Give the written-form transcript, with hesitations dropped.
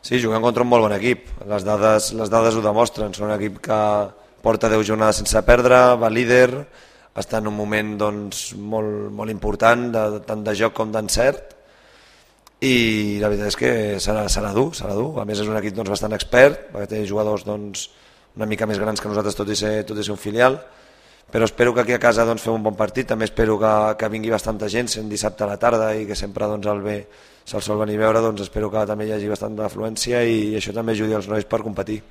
Sí, juguem contra un molt bon equip. Les dades ho demostren. Són un equip que porta 10 jornades sense perdre, va líder, està en un moment doncs, molt important, tant de joc com d'encert, i la veritat és que serà dur. A més és un equip doncs, bastant expert, perquè té jugadors doncs, una mica més grans que nosaltres, tot i ser un filial, però espero que aquí a casa doncs, fem un bon partit. També espero que vingui bastanta gent, sent dissabte a la tarda i que sempre doncs, el bé se'l sol venir a veure, doncs espero que també hi hagi bastant d'afluència i això també ajudi els nois per competir.